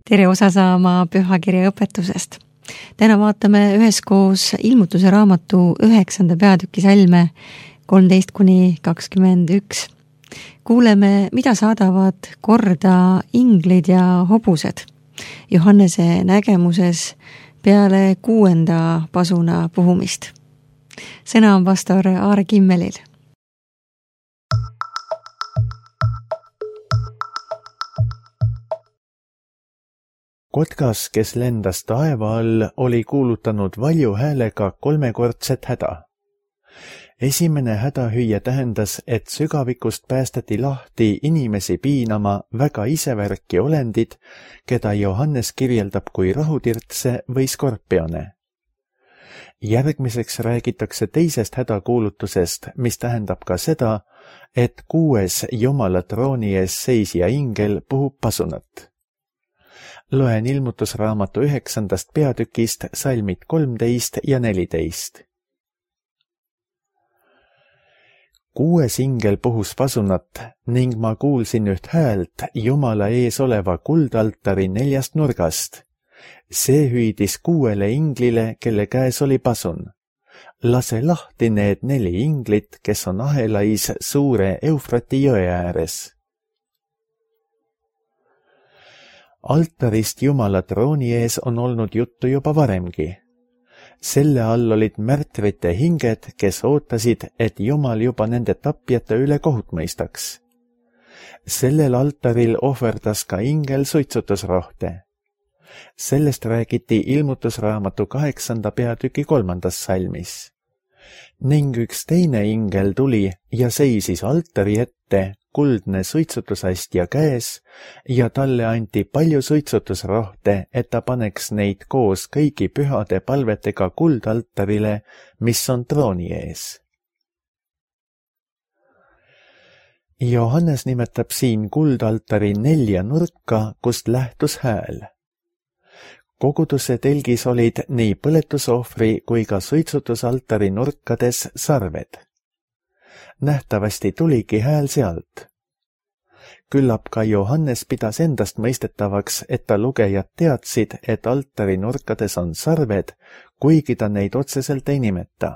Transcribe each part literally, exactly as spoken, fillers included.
tere osa saama pühakirja õpetusest. Täna vaatame üheskoos ilmutuse raamatu üheksanda peatüki salme kolmteist kuni kakskümmend üks. Kuuleme, mida saadavad korda inglid ja hobused Johannese nägemuses peale kuuenda pasuna puhumist. Sõna on pastor Aare Kimmelil. Kotkas, kes lendas taeva all, oli kuulutanud valju häälega kolmekordset häda. Esimene hädahüüe tähendas, et sügavikust päästeti lahti inimesi piinama väga isevärki olendid, keda Johannes kirjeldab kui rahutirtse või skorpione. Järgmiseks räägitakse teisest hädakuulutusest, mis tähendab ka seda, et kuues Jumala trooni ees seisja ingel puhub pasunat. Loen ilmutusraamatu üheksandast peatükist salmid kolmteist ja neliteist. Kuues ingel puhus pasunat ning ma kuulsin üht häält Jumala ees oleva kuldaltari neljast nurgast. See hüüdis kuuele inglile, kelle käes oli pasun. Lase lahti need neli inglit, kes on ahelais suure Eufrati jõe ääres. Altarist Jumala trooni ees on olnud juttu juba varemgi. Selle all olid märtrite hinged, kes ootasid, et Jumal juba nende tapjate üle kohut mõistaks. Sellel altaril ohverdas ka ingel suitsutusrohte. Sellest räägiti ilmutusraamatu kaheksanda peatüki kolmandas salmis. Ning üks teine ingel tuli ja seisis altari ette, kuldne suitsutusastja käes, ja talle anti palju suitsutusrohte, et ta paneks neid koos kõigi pühade palvetega kuldaltarile, mis on trooni ees. Johannes nimetab siin kuldaltari nelja nurka, kust lähtus hääl. Koguduse telgis olid nii põletusohvri kui ka suitsutusaltari nurkades sarved. Nähtavasti tuligi hääl sealt. Küllap ka Johannes pidas endast mõistetavaks, et ta lugejad teadsid, et altari nurkades on sarved, kuigi ta neid otseselt ei nimeta.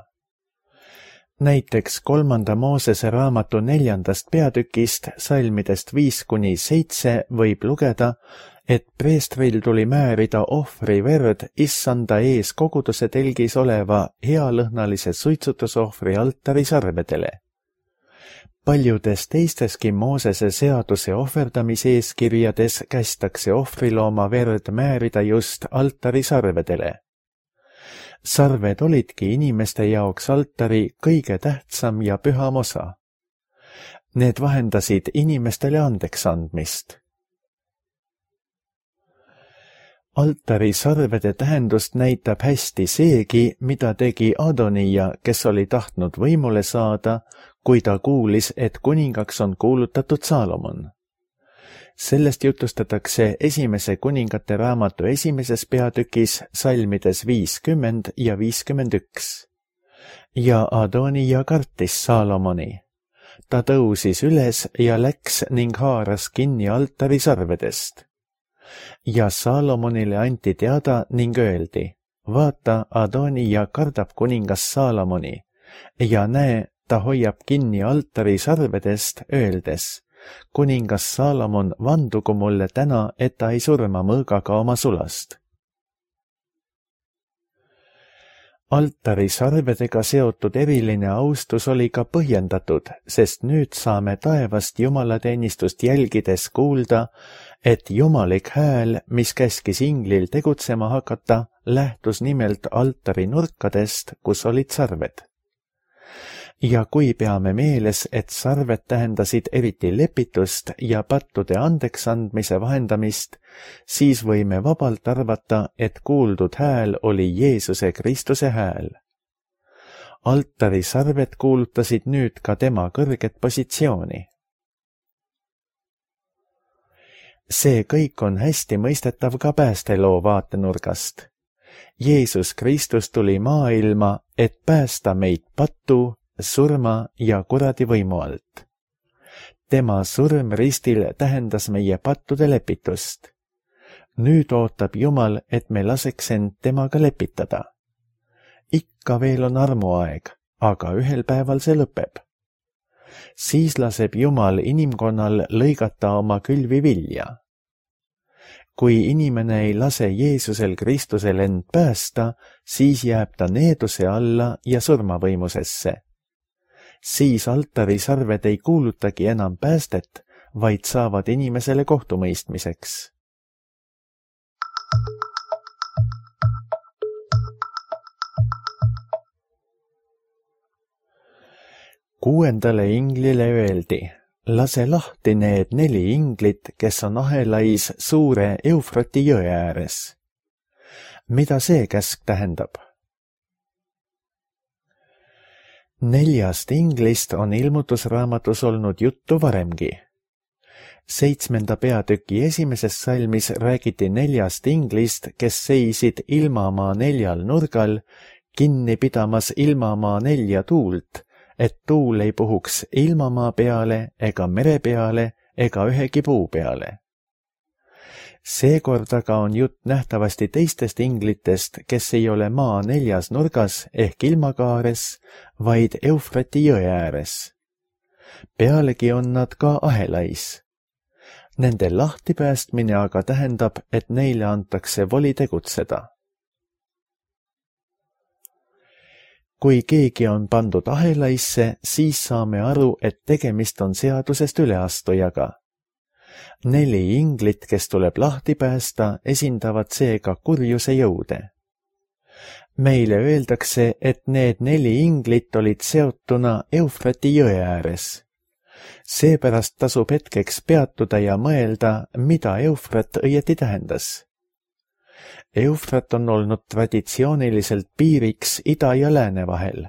Näiteks kolmanda Moosese raamatu neljandast peatükist salmidest viis kuni seitse võib lugeda, et preestril tuli määrida ohvri verd issanda ees koguduse telgis oleva healõhnalise suitsutusohvri altari sarvedele. Paljudes teisteski Moosese seaduse ohverdamiseeskirjades kästakse ohvrilooma verd määrida just altari sarvedele. Sarved olidki inimeste jaoks altari kõige tähtsam ja püham osa. Need vahendasid inimestele andeks andmist. Altari sarvede tähendust näitab hästi seegi, mida tegi Adonija, kes oli tahtnud võimule saada, kui ta kuulis, et kuningaks on kuulutatud Saalomon. Sellest jutustatakse esimese kuningate raamatu esimeses peatükis salmides viiskümmend ja viiskümmend üks. Ja Adonija kartis Saalomoni. Ta tõusis üles ja läks ning haaras kinni altari sarvedest. Ja Saalomonile anti teada ning öeldi, vaata, Adonija kardab kuningas Saalomoni, ja näe, ta hoiab kinni altari sarvedest, öeldes, kuningas Saalomon, vandugu mulle täna, et ta ei surma mõõgaga oma sulast. Altari sarvedega seotud eriline austus oli ka põhjendatud, sest nüüd saame taevast jumalateenistust jälgides kuulda, et jumalik hääl, mis käskis inglil tegutsema hakata, lähtus nimelt altari nurkadest, kus olid sarved. Ja kui peame meeles, et sarved tähendasid eriti lepitust ja pattude andeksandmise vahendamist, siis võime vabalt arvata, et kuuldud hääl oli Jeesuse Kristuse hääl. Altari sarved kuulutasid nüüd ka tema kõrget positsiooni. See kõik on hästi mõistetav ka päästeloo vaatenurgast. Jeesus Kristus tuli maailma, et päästa meid pattu, surma ja kuradi võimu alt. Tema surm ristil tähendas meie pattude lepitust. nüüd ootab Jumal, et me laseks end temaga lepitada. Ikka veel on armuaeg, aga ühel päeval see lõpeb. Siis laseb Jumal inimkonnal lõigata oma külvi vilja. Kui inimene ei lase Jeesusel Kristusel end päästa, siis jääb ta needuse alla ja surmavõimusesse. Siis altari sarved ei kuulutagi enam päästet, vaid saavad inimesele kohtumõistmiseks. Kuuendale inglile öeldi, lase lahti need neli inglit, kes on ahelais suure Eufrati jõe ääres. Mida see käsk tähendab? Neljast inglist on ilmutusraamatus olnud juttu varemgi. Seitsmenda peatüki esimeses salmis räägiti neljast inglist, kes seisid ilmamaa neljal nurgal, kinni pidamas ilmamaa nelja tuult, et tuul ei puhuks ilmamaa peale ega mere peale ega ühegi puu peale. Seekord aga on jutt nähtavasti teistest inglitest, kes ei ole maa neljas nurgas ehk ilmakaares, vaid Eufrati jõe ääres. Pealegi on nad ka ahelais. Nende lahtipäästmine aga tähendab, et neile antakse voli tegutseda. Kui keegi on pandud ahelaisse, siis saame aru, et tegemist on seadusest üleastujaga. Neli inglit, kes tuleb lahti päästa, esindavad seega kurjuse jõude. Meile öeldakse, et need neli inglit olid seotuna Eufrati jõe ääres. Seepärast tasub hetkeks peatuda ja mõelda, mida Eufrat õieti tähendas. Eufrat on olnud traditsiooniliselt piiriks ida ja lääne vahel.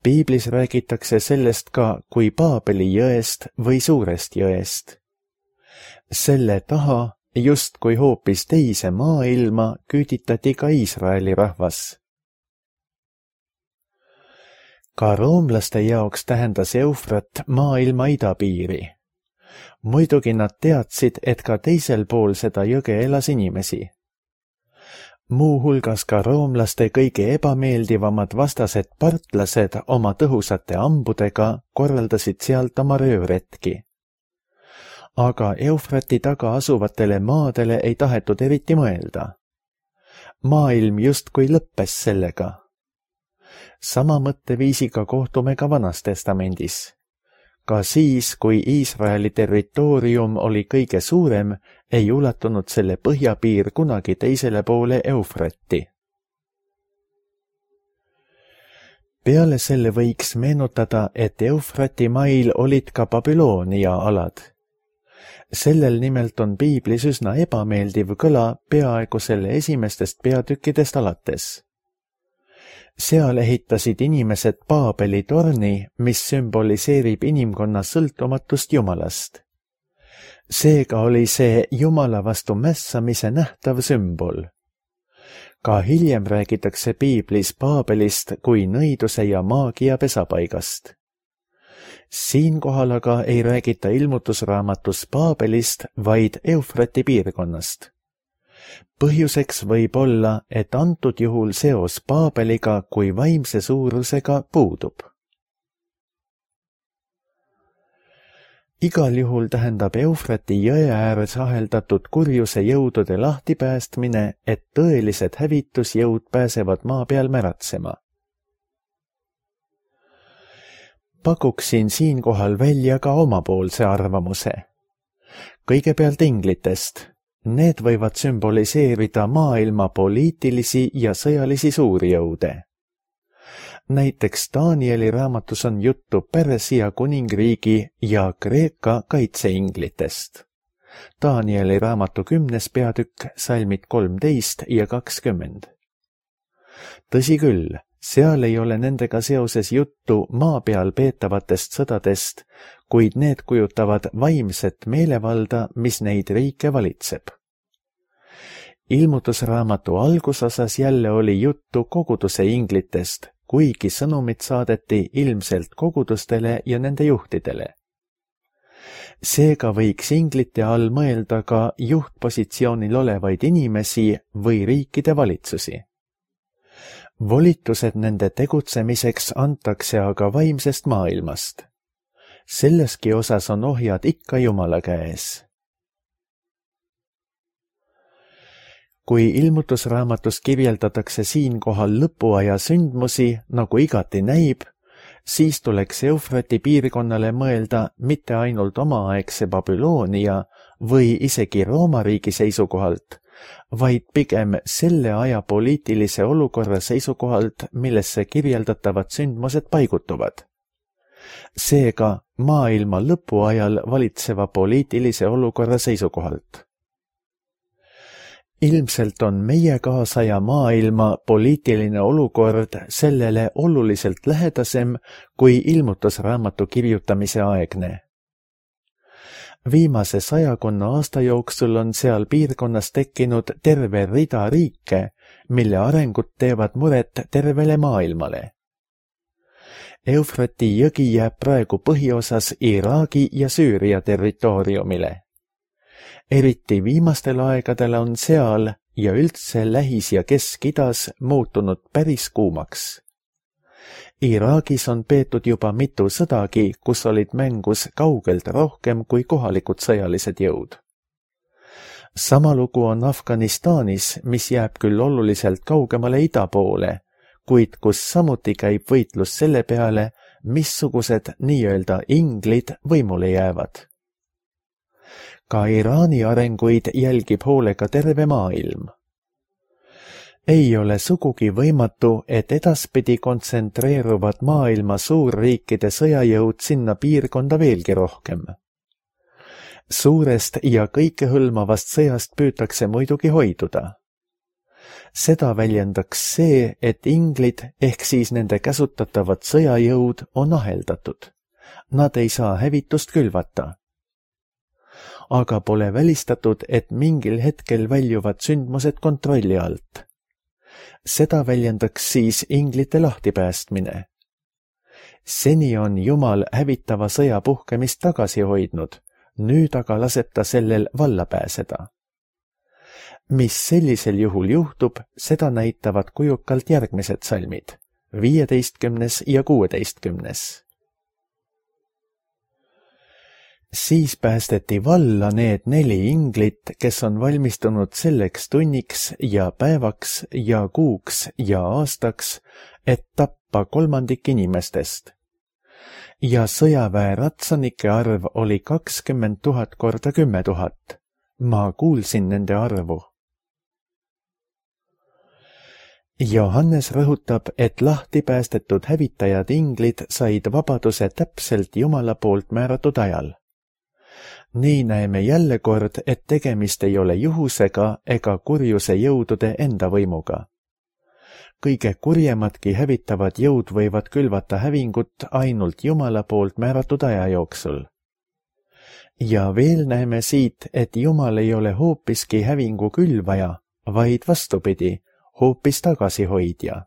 Piiblis räägitakse sellest ka kui Paabeli jõest või suurest jõest. Selle taha, just kui hoopis teise maailma, küüditati ka Iisraeli rahvas. Ka roomlaste jaoks tähendas Eufrat maailma idapiiri. Muidugi nad teadsid, et ka teisel pool seda jõge elas inimesi. Muuhulgas ka roomlaste kõige ebameeldivamad vastased partlased oma tõhusate ambudega korraldasid sealt oma röövretki. Aga Eufrati taga asuvatele maadele ei tahetud eriti mõelda. Maailm justkui lõppes sellega. Sama mõtteviisiga kohtume ka Vanas Testamendis. Ka siis, kui Iisraeli territoorium oli kõige suurem, ei ulatunud selle põhjapiir kunagi teisele poole Eufrati. Peale selle võiks meenutada, et Eufrati mail olid ka Babyloonia alad. Sellel nimelt on piiblis üsna ebameeldiv kõla peaaegu selle esimestest peatükkidest alates. Seal ehitasid inimesed Paabeli torni, mis sümboliseerib inimkonna sõltumatust Jumalast. Seega oli see Jumala vastu mässamise nähtav sümbol. Ka hiljem räägitakse piiblis Paabelist kui nõiduse ja maagia pesapaigast. Siinkohal aga ei räägita ilmutusraamatus Paabelist, vaid Eufrati piirkonnast. Põhjuseks võib olla, et antud juhul seos Paabeliga kui vaimse suurusega puudub. Igal juhul tähendab Eufrati jõe ääres aheldatud kurjuse jõudude lahtipäästmine, et tõelised hävitusjõud pääsevad maa peal märatsema. Pakuksin siinkohal välja ka omapoolse arvamuse. Kõigepealt inglitest. Need võivad sümboliseerida maailma poliitilisi ja sõjalisi suurjõude. Näiteks Danieli raamatus on juttu Persia kuningriigi ja Kreeka kaitseinglitest. Danieli raamatu kümnes peatükk, salmid kolmteist ja kakskümmend. Tõsi küll, seal ei ole nendega seoses juttu maa peal peetavatest sõdadest, kuid need kujutavad vaimset meelevalda, mis neid riike valitseb. Ilmutusraamatu algusosas jälle oli juttu koguduse inglitest, kuigi sõnumid saadeti ilmselt kogudustele ja nende juhtidele. Seega võiks inglite all mõelda ka juhtpositsioonil olevaid inimesi või riikide valitsusi. Volitused nende tegutsemiseks antakse aga vaimsest maailmast. Selleski osas on ohjad ikka Jumala käes. Kui ilmutusraamatus kirjeldatakse siinkohal lõpuaja sündmusi, nagu igati näib, siis tuleks Eufrati piirkonnale mõelda mitte ainult omaaegse Babyloonia või isegi Rooma riigi seisukohalt, vaid pigem selle aja poliitilise olukorra seisukohalt, millesse kirjeldatavad sündmused paigutuvad. Seega maailma lõpuajal valitseva poliitilise olukorra seisukohalt. Ilmselt on meie kaasaja maailma poliitiline olukord sellele oluliselt lähedasem kui ilmutusraamatu kirjutamise aegne. Viimase sajakonna aasta jooksul on seal piirkonnas tekkinud terve rida riike, mille arengud teevad muret tervele maailmale. Eufrati jõgi jääb praegu põhiosas Iraagi ja Süüria territooriumile. Eriti viimastel aegadel on seal ja üldse Lähis- ja Kesk-Idas muutunud päris kuumaks. Iraagis on peetud juba mitu sõdagi, kus olid mängus kaugelt rohkem kui kohalikud sõjalised jõud. Sama lugu on Afganistanis, mis jääb küll oluliselt kaugemale ida poole, kuid kus samuti käib võitlus selle peale, missugused nii-öelda inglid võimule jäävad. Ka Iraani arenguid jälgib hoolega terve maailm. Ei ole sugugi võimatu, et edaspidi kontsentreeruvad maailma suurriikide sõjajõud sinna piirkonda veelgi rohkem. Suurest ja kõikehõlmavast sõjast püütakse muidugi hoiduda. Seda väljendaks see, et inglid ehk siis nende käsutatavad sõjajõud on aheldatud. Nad ei saa hävitust külvata. Aga pole välistatud, et mingil hetkel väljuvad sündmused kontrolli alt. Seda väljendaks siis inglite lahtipäästmine. Seni on Jumal hävitava sõja puhkemist tagasi hoidnud, nüüd aga laseb ta sellel valla pääseda. Mis sellisel juhul juhtub, seda näitavad kujukalt järgmised salmid, viieteistkümnes ja kuueteistkümnes. Siis päästeti valla need neli inglit, kes on valmistunud selleks tunniks ja päevaks ja kuuks ja aastaks, et tappa kolmandik inimestest. Ja sõjaväe ratsanike arv oli kakskümmend tuhat korda kümme tuhat. Ma kuulsin nende arvu. Johannes rõhutab, et lahti päästetud hävitajad inglid said vabaduse täpselt Jumala poolt määratud ajal. Nii näeme jälle kord, et tegemist ei ole juhusega ega kurjuse jõudude enda võimuga. Kõige kurjemadki hävitavad jõud võivad külvata hävingut ainult Jumala poolt määratud aja jooksul. Ja veel näeme siit, et Jumal ei ole hoopiski hävingu külvaja, vaid vastupidi, hoopis tagasihoidja.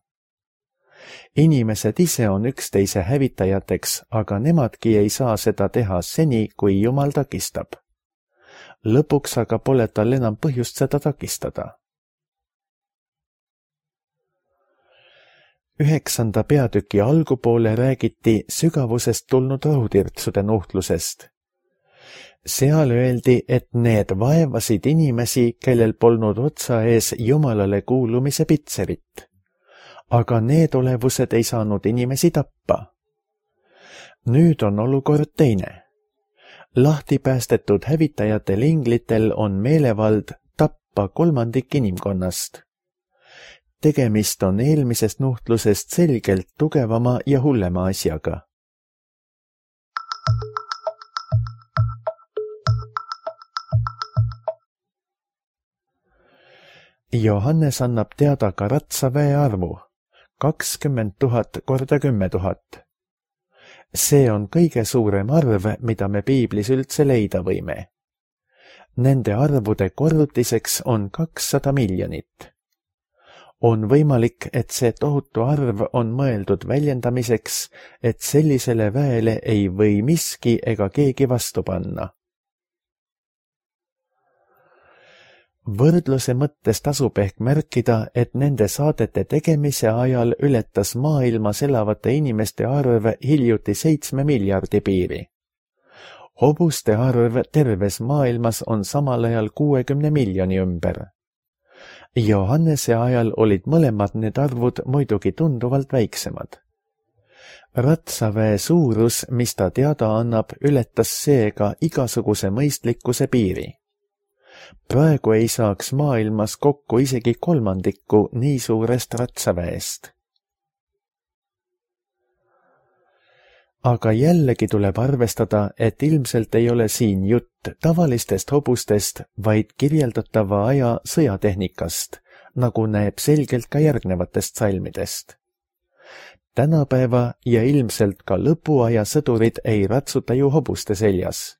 Inimesed ise on üksteise hävitajateks, aga nemadki ei saa seda teha seni, kui Jumal takistab. Lõpuks aga pole tal enam põhjust seda takistada. Üheksanda peatüki algupoole räägiti sügavusest tulnud rahutirtsude nuhtlusest. Seal öeldi, et need vaevasid inimesi, kellel polnud otsa ees Jumalale kuulumise pitserit. Aga need olevused ei saanud inimesi tappa. Nüüd on olukord teine. Lahti päästetud hävitajatel inglitel on meelevald tappa kolmandik inimkonnast. Tegemist on eelmisest nuhtlusest selgelt tugevama ja hullema asjaga. Johannes annab teada ka ratsaväe arvu. kakskümmend tuhat korda kümme tuhat. See on kõige suurem arv, mida me piiblis üldse leida võime. Nende arvude korrutiseks on kakssada miljonit. On võimalik, et see tohutu arv on mõeldud väljendamiseks, et sellisele väele ei või miski ega keegi vastu panna. Võrdluse mõttes tasub ehk märkida, et nende saadete tegemise ajal ületas maailmas elavate inimeste arv hiljuti seitsme miljardi piiri. Hobuste arv terves maailmas on samal ajal kuuekümne miljoni ümber. Johannese ajal olid mõlemad need arvud muidugi tunduvalt väiksemad. Ratsaväe suurus, mis ta teada annab, ületas seega igasuguse mõistlikkuse piiri. Praegu ei saaks maailmas kokku isegi kolmandikku nii suurest ratsaväest. Aga jällegi tuleb arvestada, et ilmselt ei ole siin jutt tavalistest hobustest, vaid kirjeldatava aja sõjatehnikast, nagu näeb selgelt ka järgnevatest salmidest. Tänapäeva ja ilmselt ka lõpuaja sõdurid ei ratsuta ju hobuste seljas.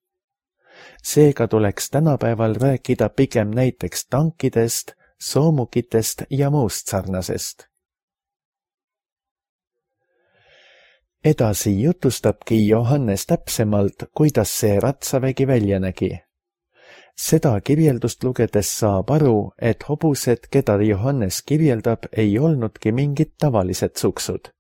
Seega tuleks tänapäeval rääkida pigem näiteks tankidest, soomukitest ja muust sarnasest. Edasi jutustabki Johannes täpsemalt, kuidas see ratsavägi välja nägi. Seda kirjeldust lugedes saab aru, et hobused, keda Johannes kirjeldab, ei olnudki mingid tavalised suksud.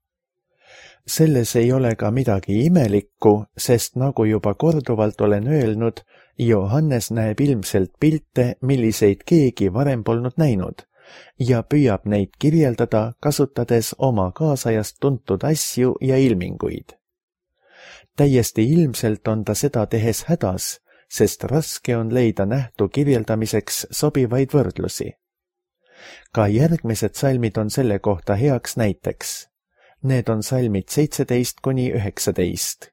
Selles ei ole ka midagi imelikku, sest nagu juba korduvalt olen öelnud, Johannes näeb ilmselt pilte, milliseid keegi varem polnud näinud, ja püüab neid kirjeldada, kasutades oma kaasajast tuntud asju ja ilminguid. Täiesti ilmselt on ta seda tehes hädas, sest raske on leida nähtu kirjeldamiseks sobivaid võrdlusi. Ka järgmised salmid on selle kohta heaks näiteks. Need on salmid seitseteist kuni üheksateist.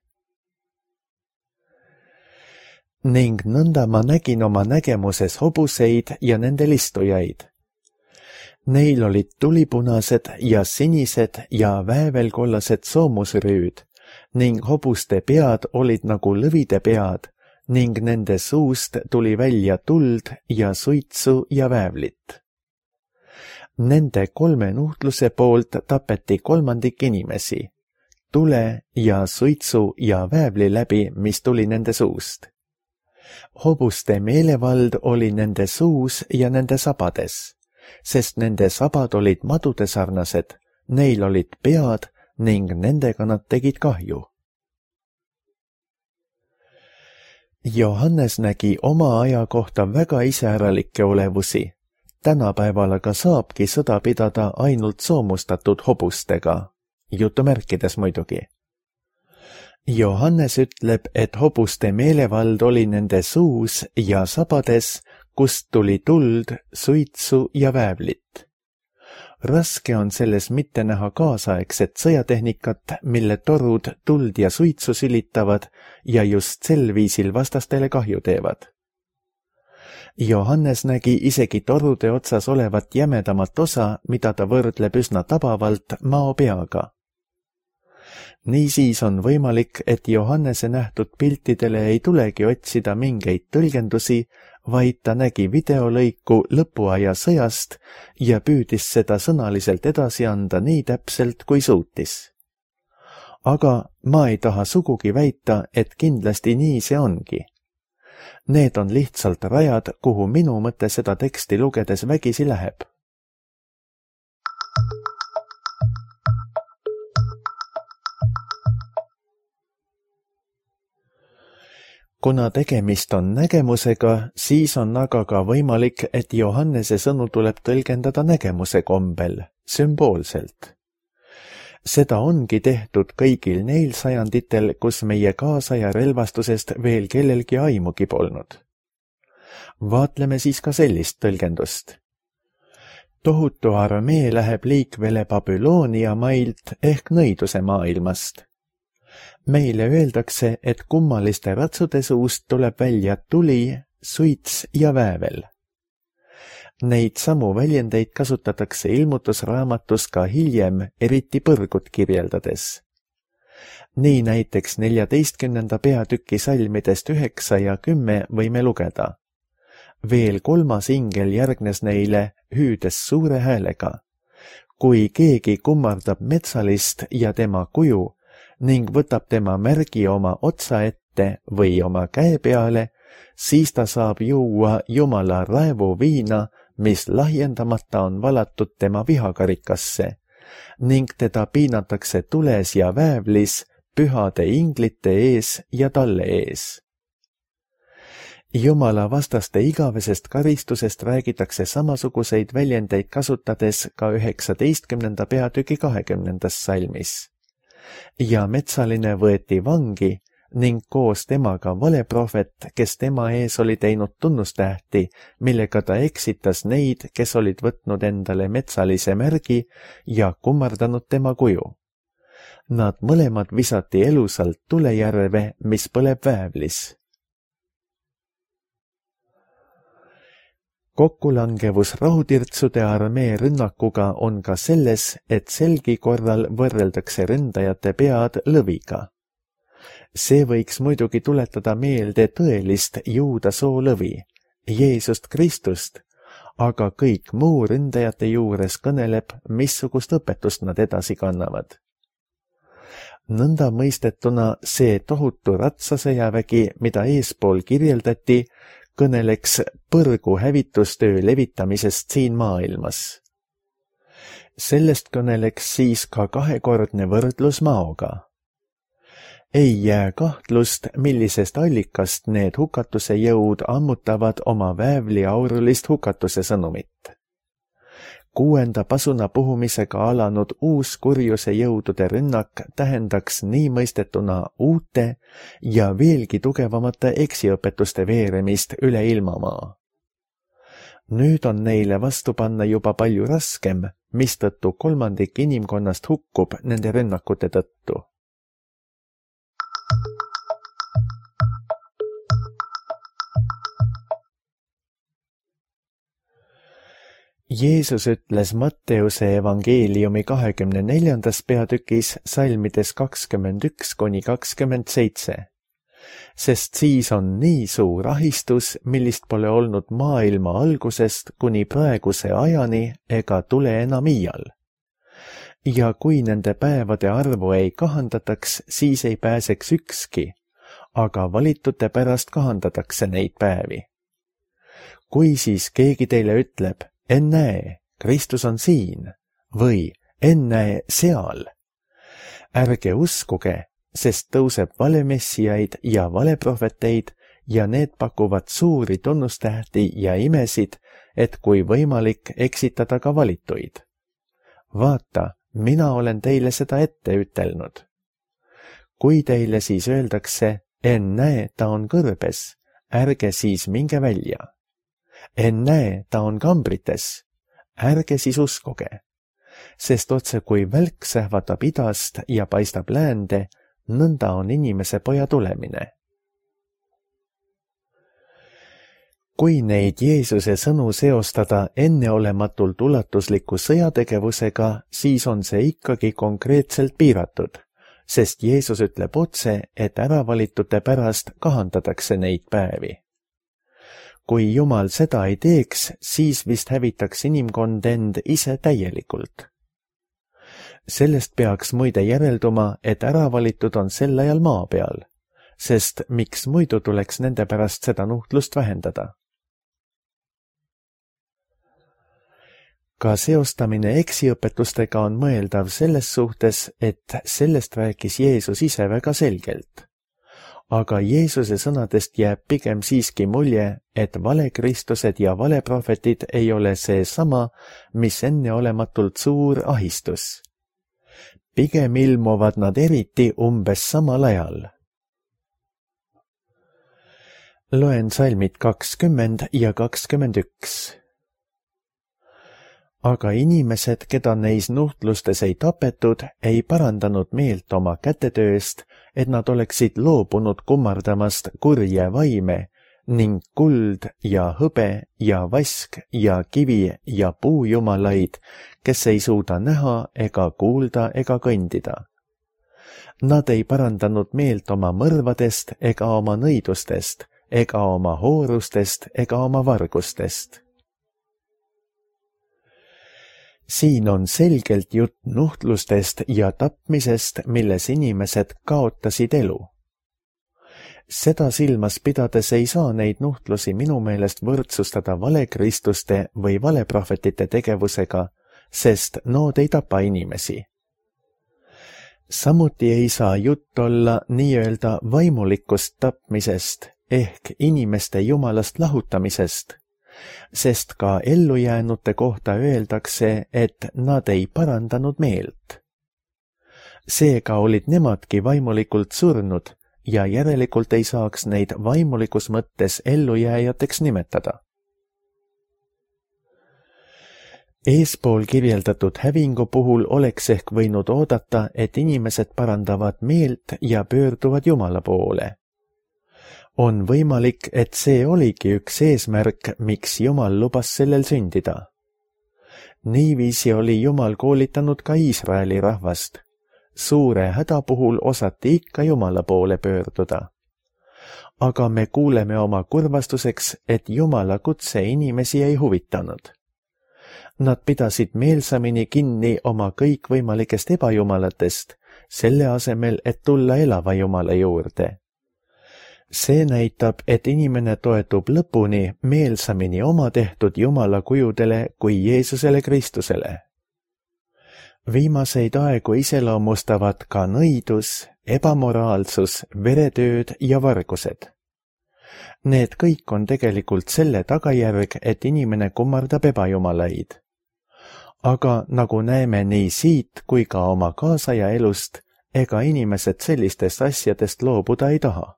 Ning nõnda ma nägin oma nägemuses hobuseid ja nende listujaid. Neil olid tulipunased ja sinised ja väävelkollased soomusrüüd ning hobuste pead olid nagu lõvide pead ning nende suust tuli välja tuld ja suitsu ja väävlit. Nende kolme nuhtluse poolt tapeti kolmandik inimesi, tule ja suitsu ja väävli läbi, mis tuli nende suust. Hobuste meelevald oli nende suus ja nende sabades, sest nende sabad olid madude sarnased, neil olid pead ning nendega nad tegid kahju. Johannes nägi oma aja kohta väga iseäralikke olevusi. Tänapäeval aga saabki sõda pidada ainult soomustatud hobustega, jutumärkides muidugi. Johannes ütleb, et hobuste meelevald oli nende suus ja sabades, kust tuli tuld, suitsu ja väävlit. Raske on selles mitte näha kaasaegset sõjatehnikat, mille torud tuld ja suitsu silitavad ja just sel viisil vastastele kahju teevad. Johannes nägi isegi torude otsas olevat jämedamat osa, mida ta võrdleb üsna tabavalt maopeaga. Niisiis on võimalik, et Johannese nähtud piltidele ei tulegi otsida mingeid tõlgendusi, vaid ta nägi videolõiku lõpuaja sõjast ja püüdis seda sõnaliselt edasi anda nii täpselt, kui suutis. Aga ma ei taha sugugi väita, et kindlasti nii see ongi. Need on lihtsalt rajad, kuhu minu mõte seda teksti lugedes vägisi läheb. Kuna tegemist on nägemusega, siis on aga ka võimalik, et Johannese sõnu tuleb tõlgendada nägemuse kombel, sümboolselt. Seda ongi tehtud kõigil neil sajanditel, kus meie kaasaja relvastusest veel kellelgi aimugi polnud. Vaatleme siis ka sellist tõlgendust. Tohutu armee läheb liikvele Babyloonia mailt ehk nõiduse maailmast. Meile öeldakse, et kummaliste ratsude suust tuleb välja tuli, suits ja väävel. Neid samu väljendeid kasutatakse ilmutusraamatus ka hiljem, eriti põrgut kirjeldades. Nii näiteks neljateistkümnenda peatüki salmidest üheksa ja kümme võime lugeda. Veel kolmas ingel järgnes neile, hüüdes suure häälega. kui keegi kummardab metsalist ja tema kuju ning võtab tema märgi oma otsa ette või oma käe peale, siis ta saab juua Jumala raevuviina, mis lahjendamata on valatud tema vihakarikasse, ning teda piinatakse tules ja väävlis pühade inglite ees ja talle ees. Jumala vastaste igavesest karistusest räägitakse samasuguseid väljendeid kasutades ka üheksateistkümnenda peatüki kahekümnendas salmis. Ja metsaline võeti vangi ning koos temaga valeprohvet, kes tema ees oli teinud tunnustähti, millega ta eksitas neid, kes olid võtnud endale metsalise märgi ja kummardanud tema kuju. Nad mõlemad visati elusalt tulejärve, mis põleb väävlis. Kokkulangevus rahutirtsude armee rünnakuga on ka selles, et selgi korral võrreldakse ründajate pead lõviga. See võiks muidugi tuletada meelde tõelist juuda soo lõvi, Jeesust Kristust, aga kõik muu ründajate juures kõneleb, missugust õpetust nad edasi kannavad. Nõnda mõistetuna see tohutu ratsasõjavägi, mida eespool kirjeldati, kõneleks põrgu hävitustöö levitamisest siin maailmas. Sellest kõneleks siis ka kahekordne võrdlus maoga. Ei jää kahtlust, millisest allikast need hukatuse jõud ammutavad oma väävli aurulist hukatuse sõnumit. Kuuenda pasuna puhumisega alanud uus kurjuse jõudude rünnak tähendaks nii mõistetuna uute ja veelgi tugevamate eksiõpetuste veeremist üle ilmamaa. Nüüd on neile vastu panna juba palju raskem, mistõttu kolmandik inimkonnast hukkub nende rünnakute tõttu. Jeesus ütles Matteuse evangeeliumi kahekümne neljandas peatükis salmides kakskümmend üks kuni kakskümmend seitse, sest siis on nii suur ahistus, millist pole olnud maailma algusest kuni praeguse ajani ega tule enam iial. Ja kui nende päevade arvu ei kahandataks, siis ei pääseks ükski, aga valitute pärast kahandatakse neid päevi. Kui siis keegi teile ütleb, ennäe, Kristus on siin või ennäe seal, ärge uskuge, sest tõuseb valemessiaid ja valeprohveteid ja need pakuvad suuri tunnustähti ja imesid, et kui võimalik eksitada ka valituid. Vaata, mina olen teile seda ette ütelnud. Kui teile siis öeldakse, ennäe, ta on kõrbes, ärge siis minge välja. Ennäe, ta on kambrites, ärge siis uskuge, sest otse kui välk sähvatab idast ja paistab läände, nõnda on inimese poja tulemine. Kui neid Jeesuse sõnu seostada enneolematult ulatusliku sõjategevusega, siis on see ikkagi konkreetselt piiratud, sest Jeesus ütleb otse, et äravalitute pärast kahandatakse neid päevi. Kui Jumal seda ei teeks, siis vist hävitaks inimkond end ise täielikult. Sellest peaks muide järelduma, et äravalitud on sel ajal maa peal, sest miks muidu tuleks nende pärast seda nuhtlust vähendada. Ka seostamine eksiõpetustega on mõeldav selles suhtes, et sellest rääkis Jeesus ise väga selgelt. Aga Jeesuse sõnadest jääb pigem siiski mulje, et valekristused ja valeprohvetid ei ole see sama, mis enneolematult suur ahistus. Pigem ilmuvad nad eriti umbes samal ajal. Loen salmid kakskümmend ja kakskümmend üks. Aga inimesed, keda neis nuhtlustes ei tapetud, ei parandanud meelt oma kätetööst, et nad oleksid loobunud kummardamast kurje vaime ning kuld ja hõbe ja vask ja kivi ja puujumalaid, kes ei suuda näha ega kuulda ega kõndida. Nad ei parandanud meelt oma mõrvadest ega oma nõidustest ega oma hoorustest ega oma vargustest. Siin on selgelt jutt nuhtlustest ja tapmisest, milles inimesed kaotasid elu. Seda silmas pidades ei saa neid nuhtlusi minu meelest võrdsustada valekristuste või valeprohvetite tegevusega, sest nood ei tapa inimesi. Samuti ei saa jutt olla nii-öelda vaimulikust tapmisest ehk inimeste jumalast lahutamisest, sest ka ellujäänute kohta öeldakse, et nad ei parandanud meelt. Seega olid nemadki vaimulikult surnud ja järelikult ei saaks neid vaimulikus mõttes ellujääjateks nimetada. Eespool kirjeldatud hävingu puhul oleks ehk võinud oodata, et inimesed parandavad meelt ja pöörduvad Jumala poole. On võimalik, et see oligi üks eesmärk, miks Jumal lubas sellel sündida. Niiviisi oli Jumal koolitanud ka Iisraeli rahvast. Suure häda puhul osati ikka Jumala poole pöörduda. Aga me kuuleme oma kurvastuseks, et Jumala kutse inimesi ei huvitanud. Nad pidasid meelsamini kinni oma kõikvõimalikest ebajumalatest, selle asemel, et tulla elava Jumala juurde. See näitab, et inimene toetub lõpuni meelsamini oma tehtud Jumala kujudele kui Jeesusele Kristusele. Viimaseid aegu iseloomustavad ka nõidus, ebamoraalsus, veretööd ja vargused. Need kõik on tegelikult selle tagajärg, et inimene kummardab ebajumalaid. Aga nagu näeme nii siit kui ka oma kaasaja elust, ega inimesed sellistest asjadest loobuda ei taha.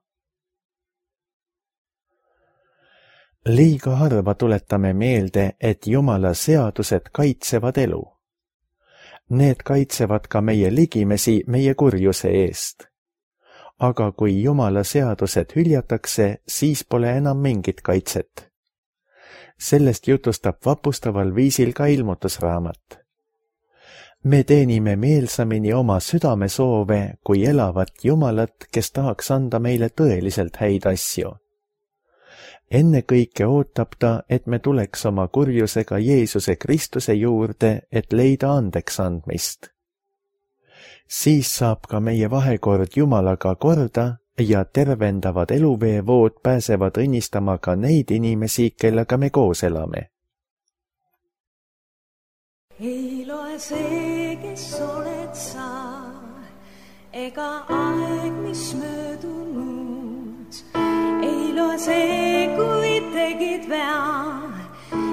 Liiga harva tuletame meelde, et Jumala seadused kaitsevad elu. Need kaitsevad ka meie ligimesi meie kurjuse eest. Aga kui Jumala seadused hüljatakse, siis pole enam mingit kaitset. Sellest jutustab vapustaval viisil ka ilmutusraamat. Me teenime meelsamini oma südamesoove kui elavat Jumalat, kes tahaks anda meile tõeliselt häid asju. Ennekõike ootab ta, et me tuleks oma kurjusega Jeesuse Kristuse juurde, et leida andeks andmist. Siis saab ka meie vahekord Jumalaga korda ja tervendavad eluveevood pääsevad õnnistama ka neid inimesi, kellega me koos elame. Ei loe see, kes oled sa, ega aeg, mis möödunud. Ei loe see, kui tegid vea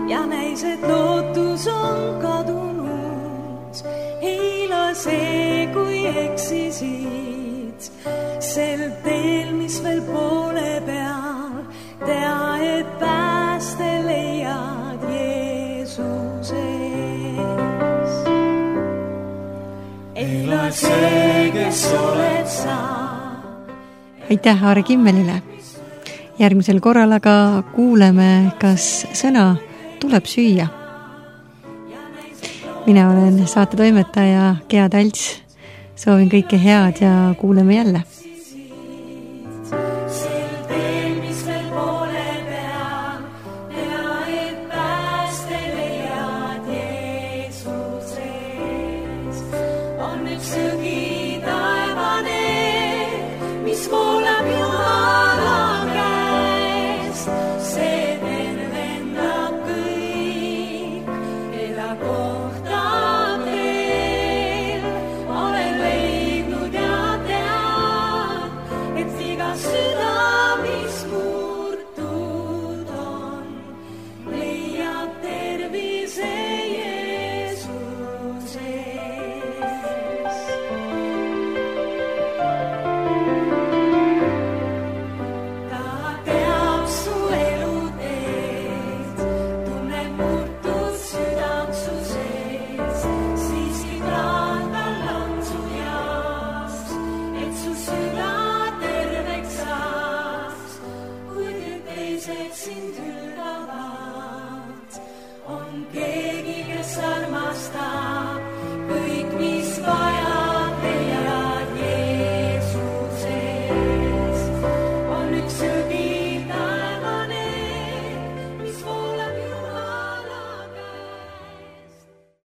ja näis, et lootus on kadunud. Ei loe see, kui eksisid sel teel, mis veel poole peal. Tea, et pääste leiad Jeesuses. Ei loe see, kes oled sa. Aitäh Aare Kimmelile! Järgmisel korral aga kuuleme, kas sõna tuleb süüa. Mina olen saate toimetaja Gea Talts. Soovin kõike head ja kuuleme jälle. On üks sõgi taevane, mis voolab